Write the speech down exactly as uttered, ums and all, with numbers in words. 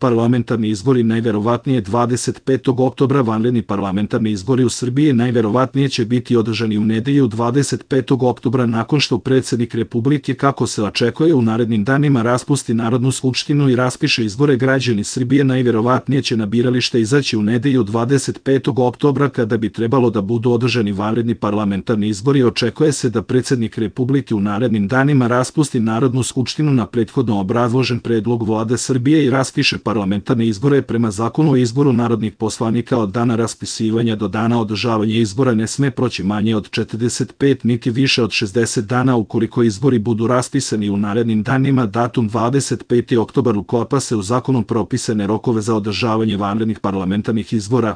parlamentarni izbori najverovatnije dvadeset petog oktobra. Vanredni parlamentarni izbori u Srbiji najverovatnije će biti održani u nedelju dvadeset petog oktobra nakon što predsjednik Republike, kako se očekuje, u narednim danima raspusti Narodnu skupštinu i raspiše izbore. Građani Srbije najverovatnije će na biralište izaći u nedelju dvadeset petog oktobra kada bi trebalo da budu održani vanredni parlamentarni izbori. Očekuje se da predsjednik Republike u narednim danima raspusti Narodnu skupštinu na prethodno obrazložen predlog Vlade Srbije i raspiše parlamentarne izbore. Prema zakonu o izboru narodnih poslanika od dana raspisivanja do dana održavanja izbora ne sme proći manje od četrdeset pet niti više od šezdeset dana. Ukoliko izbori budu raspisani u narednim danima, datum dvadeset peti oktobar uklapa se u zakonom propisane rokove za održavanje vanrednih parlamentarnih izbora.